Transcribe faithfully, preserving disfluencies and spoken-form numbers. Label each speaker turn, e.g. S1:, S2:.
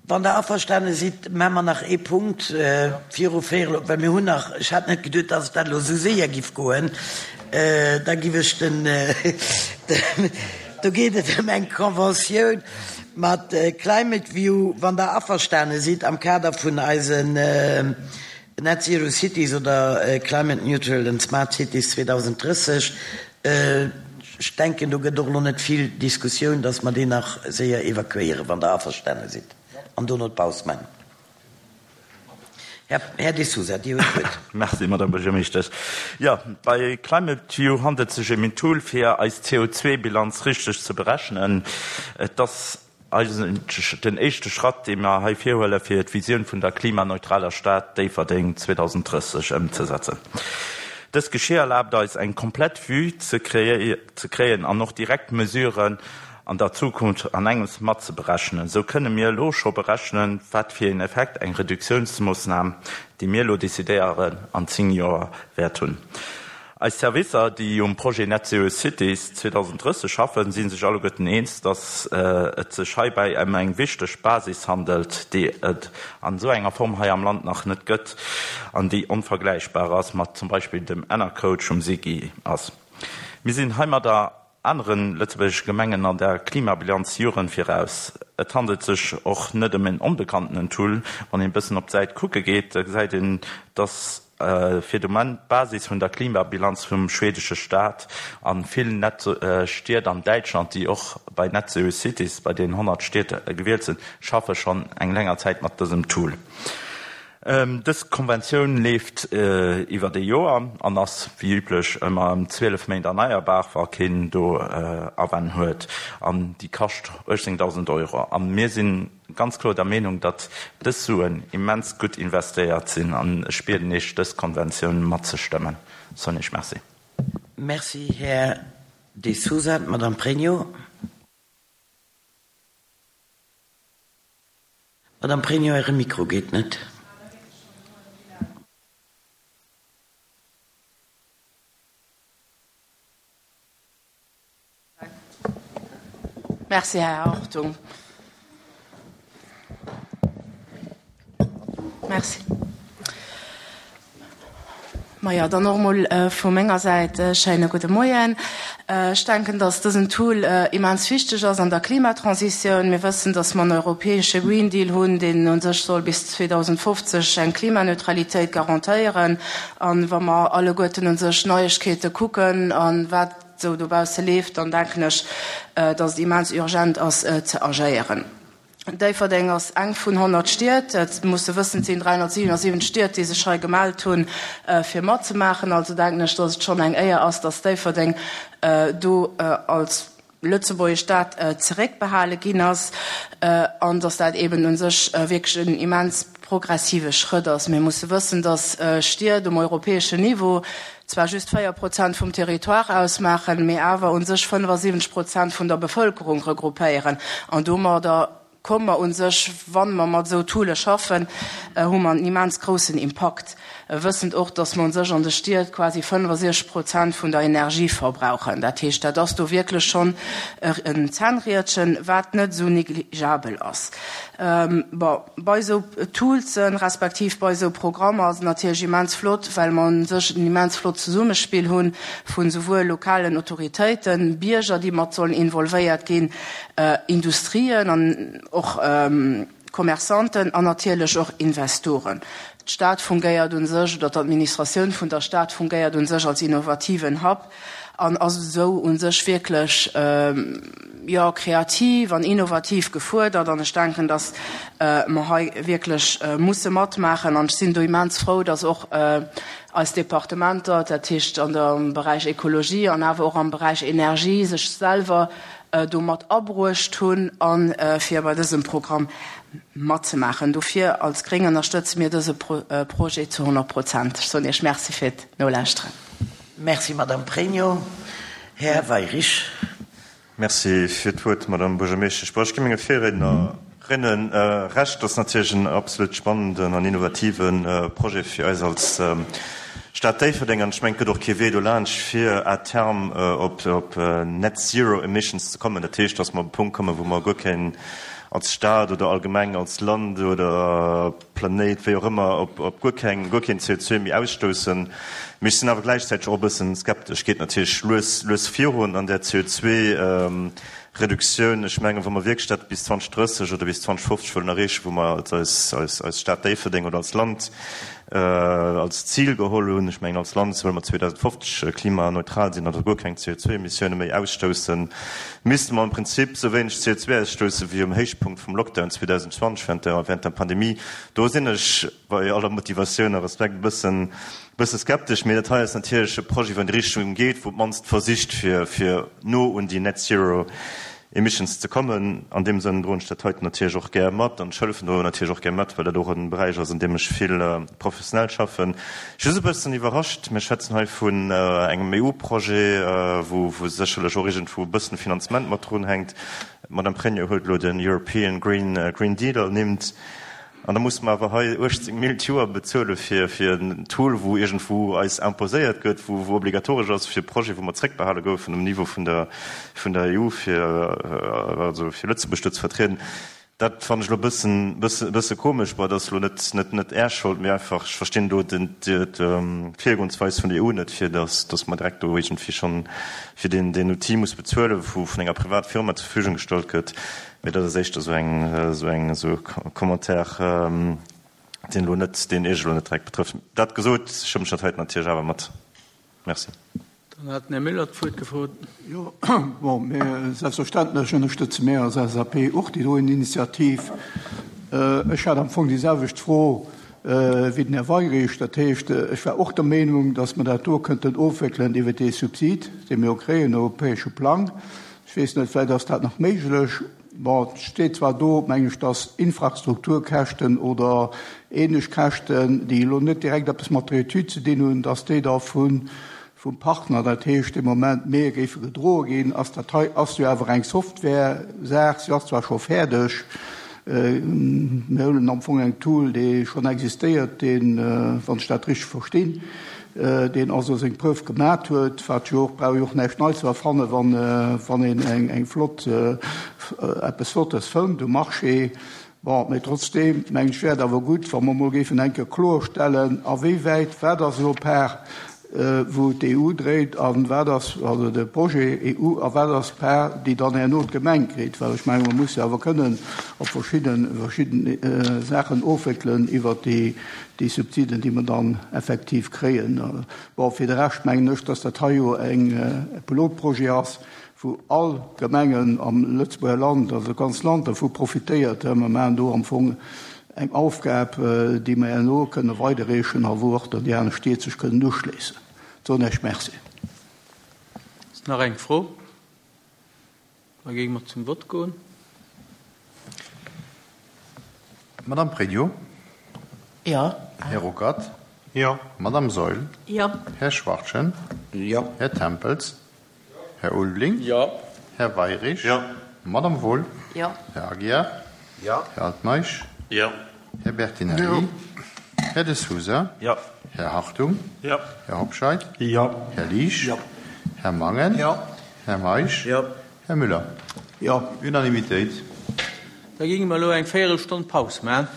S1: Wann Der averstane sidd, maache mer nach ee Punkt viru véierel op, well mir hunn nach, ech hat net geduet, dass et dat elo esou séier giff goen, da giff ech den, do geet et ëm eng Conventioun mat Climate View, wann Der averstane sidd, am Kader vun eisen Net Zero Cities oder Climate Neutral and Smart Cities zweedausenddrësseg. Ech denken, do gëtt och elo net vill Diskussioun, dass mer déi nach séier evakuéieren, wann Der averstane sidd, an dono d'Paus maachen. Här De Sousa, Dir hutt d'Wuert.
S2: Merci, Madame Buergermeeschtesch. Jo, bei Climate View handelt et sech ëm een Tool, fir eis C O zwei Bilanz richteg ze berechnen. Et ass eigentlech den éischte Schratt, dee mer hei virhuelen, fir d'Visioun vun der klimaneutraler Stad Déifferdeng zweedausenddrësseg ëmzesetzen. Dëst Geschir erlaabt eis, eng komplett Vue ze kréien an och direkt Mesuren an der Zukunft an engems matzeberechnen. Esou kënne mir elo scho berechnen, wat fir een Effekt eng Reduktiounsmoossnam, déi mir elo decidéieren, an zéng Joer wäert hunn. Eis Servicer, déi um Projet Net Zero Cities zweedausenddrësseg schaffen, si sech alleguerten eens, datt et sech heibäi ëm eng wichteg Basis handelt, déi et an esou enger Form hei am Land nach net gëtt an déi onvergläichbar ass mat zum Beispill dem Enercoach vum SIGI ass. Mir sinn heimadder anere lëtzebuergesche Gemengen an der Klimabilanz Joren viraus. Et handelt sech och net ëm en onbekanntenen Tool. Wann een e bëssen op d'Säit kucke geet, da gesäit een, datt fir de Moment d'Basis vun der Klimabilanz vum schwedesche Staat a vill Net Stied an Däitschland, déi och bei Net Zero Cities, bei deenen honnert Stied gewielt sinn, schaffe schonn eng länger Zäit mat dësem Tool. Dës Konventioun leeft iwwert ee Joer an ass wéi üblech ëmmer ëm zwielef Méint erneierbar, wa keen do Awänn huet, an déi kascht uechtzéngdausend Euro. A mir si ganz kloer der Meenung, datt dës Suen immens gutt investéiert sinn, an ech bieden Iech, dës Konventioun matzestëmmen. Soen Iech Merci.
S1: Merci, Här De Sousa. D'Madame Pregno. Madame Pregno, Äre Mikro geet net.
S3: Merci, Här Hartung. Merci. Maja, dann och emol vu menger Säit e schéine gudde Moien. Ech denken, dass dësen Tool immens wichteg ass an der Klimatransitioun. Mir wëssen, dass mer en europäesche Green Deal hunn, deen u sech soll bis zweedausendfofzeg eng Klimaneutralitéit garantéieren. A wa mer alleguerten u sech Neiegkeete kucken a wat esou dobausse leeft, dann denken ech, dass et immens urgent ass ze agéieren. Déifferdeng ass eng vun honnert Stied. Et muss e wëssen, et sinn dräihonnertsiwenundsiwwenzeg Stied, déi sech hei gemellt hunn, fir matzemaachen. Also denken ech, dass et schonn eng Éier ass, dass Déifferdeng do als lëtzebuergesch Stad zeréckbehale ginn ass an dass dat eeben u sech wierklech en immens progressive Schrëtt ass. Mir musse wëssen, dass Stied um europäeschen Niveau zwar just véier Prozent vum Territoire ausmaachen, mee awer u sech fënnefasiwwenzeg Prozent vun der Bevëlkerung regroupéieren. An domadder komme mer u sech, wa mer mat esou Toole schaffen, hu mer en immens groussen Impakt, wëssend och, dass mer u sech an de Stied quasi fënnefasiwwenzeg Prozent vun der Energie verbrauchen. Dat heescht, dat ass do wierklech schonn en Zännriedchen, wat net esou négligeabel ass. Bon, bei esou Toolsen, respektiv bei esou Programmer ass et natierlech immens flott, well mer u sech en immens flott Zesummespill hu vu souwuel lokalen Autoritéiten, Bierger, déi mat sollen involvéiert ginn, Industrien an och Commerçanten an natierlech och Investoren. D'Stad fungéiert u sech, oder d'Administratioun vun der Stad fungéiert u sech als innovativen Hub an ass esou u sech wierklech, jo, kreativ an innovativ gefuerdert. An ech denken, dass mer hei wierklech musse matmaachen. An ech sinn do immens frou, dass och eis Departementer, dat heescht an der Beräich Ekologie an awer och am Beräich Energie, sech selwer do mat abruecht hunn a fir bei dësem Programm matzemaachen. Dofir als Gréng ënnerstëtze mir dëse Projet zu honnert Prozent. Ech soen Iech Merci fir d'Nolauschteren.
S1: Merci, Madame Pregno. Här Weyrich.
S4: Merci fir d'Wuert, Madame Buergermeeschtesch. Bon, ech gi menge Virriednerinnen Recht, dat ass natierlech en absolut spannenden an innovativen Projet fir eis als Stad Déifferdeng. An ech mengen, et gëtt och kee Wee dolaanscht, fir à terme op net zero emissions ze kommen. Dat heescht, dass mer op e Punkt kommen, wou mer guer keen als Stad oder allgemeng als Land oder Planéit, wéi och ëmmer, op op guer keng guer keen C O zwei méi ausstoussen. Mee ech sinn awer gläichzäiteg och e bëssen skeptesch. Geet natierlech lues lues virun an där C O zwei Reduktioun. Ech mengen, wa mer wierklech dat bis zwanzeg drësseg oder bis zwanzeg fofzeg wëllen erreechen, wou mer als eis eis eis Stad Déifferdeng oder als Land als Zil geholl hunn, ech mengen als Land wëlle mer zweedausendfofzeg klimaneutral sinn, also guer keng C O zwei Emissioune méi ausstoussen, misste mer am Prinzip esou wéineg C O zwei ausstousse wéi um Héichpunkt vum Lockdown zweedausendzwanzeg während der während der Pandemie. Do sinn ech bei aller Motivatioun a Respekt e bëssen bësse skeptesch. Mee dat hei ass natierlech e Projet, wou an déi Richtung geet, wou op d'mannst versicht fir fir no un déi Net Zero Emissions ze kommen. An deem Sënn droen ech dat heiten natierlech och gär mat an ech hëllefen do natierlech och gär mat, well dat och e Beräich ass, an deem ech vill professionell schaffen. Just e bëssen iwwerrascht, mir schwätzen hei vun engem E U-Projet, wou wou sécherlech och iergendwou e bëssen Finanzement mat drunhänkt. D'Madame Pregno huet elo den European Green Green Deal ernimmt. An da musse mer awer hei uechtzéng Mille d'Joer bezuele fir fir en Tool, wou iergendwou eis imposéiert gëtt, wou wou obligatoresch ass fir e Projet, wou mer zréckbehale goufen um Niveau vun der vun der E U, fir also fir Lëtzebuerg do ze vertrieden. Dat fannen ech elo e bëssen bësse bësse komesch. Bon, dat ass elo net net net Är Schold, mee einfach ech verstinn do den d'Virgoensweis vun der E U net, fir datt datt mer direkt do iergendwéi schonn fir deen deen Outil muss bezuelen, wou vun enger privat Firma zur Verfügung gestallt gëtt. Mee dat ass éischter esou eng esou eng esou e Commentaire, deen elo net, deen Iech elo net direkt betrëfft. Dat gesot, stëmmen ech dat heiten natierlech awer mat. Merci.
S5: Dann hat den Här Müller d'Wuert gefrot.
S6: Jo, bon, mir, selbstverständlech ënnerstëtze mir als L S A P och déi doen Initiativ. Ech hat am Fong déi selwecht Fro wéi den Här Weirich. Dat heescht, ech war och der Meenung, datt mer dat do kënnten ofwéckelen iwwer dee Subsid, dee mir jo kréien, europäesche Plang. Ech weess net, vläicht ass dat nach méiglech. Bon, et steet zwar do, meng ech, dass Infrastrukturkäschten oder ähnlech Käschten, déi elo net direkt eppes mat der Etüd ze dinn hunn, dass déi da vun, vum Partner, dat heescht de Moment mir, géife gedroe ginn. Ass dat hei ass jo awer eng Software-Saach, si ass zwar scho fäerdeg, mir huelen am Fong eng Tool, déi schonn existéiert, deen, wann ech dat richteg verstinn, deen also seng Preuve gemat huet, wat jo och, brauch jo och näischt nei ze erfannen, wann, wann een eng, eng flott, eppes Flottes fënnt um Marché. Bon, mee trotzdem, meng ech, wär et awer gutt, wa mer mol géifen eng Kéier kloerstellen, a wéi wäit, wat ass elo Part, wou d'E U dréit, a wat ass, also de Projet E U, a wat ass d'Part, déi dann herno d'Gemeng kritt, well ech mengen, mer musse awer kënnen op verschidden, verschidden Saachen ofwéckelen iwwert déi, déi Subsiden, déi mer dann effektiv kréien. Bon, fir de Rescht mengen ech, dass dat hei jo eng Pilotprojet ass, wou all Gemengen am Lëtzebuerger Land, also ganz Land dervu profitéiert. Mer maachen do am Fong eng Aufgab, déi mer herno kënne weiderreechen a wou och dann déi aner Stied sech kënnen uschléissen. Soen ech Merci.
S5: Ass nach eng Fro? Da géinge mer zum Vott goen.
S7: Madame Pregno?
S1: Jo.
S7: Här Ruckert?
S4: Jo.
S7: Madame Saeul?
S1: Jo.
S7: Här Schwachtgen?
S1: Jo.
S7: Här Tempels? Här Ulveling?
S5: Jo.
S7: Här Weirich?
S4: Jo.
S7: Madame Wohl?
S1: Jo.
S7: Här Aguiar?
S2: Jo.
S7: Här Altmeisch?
S2: Jo.
S7: Här Bertinelli?
S6: Jo.
S7: Här De Sousa?
S2: Jo.
S7: Här Hartung?
S2: Jo.
S7: Här Hobscheit?
S2: Jo.
S7: Här Liesch?
S1: Jo.
S7: Här Mangen?
S1: Jo.
S7: Här Meisch?
S1: Jo.
S7: Här Müller?
S6: Jo.
S7: Unanimitéit.
S5: Da géinge mer elo eng Véierelstonn Paus maachen.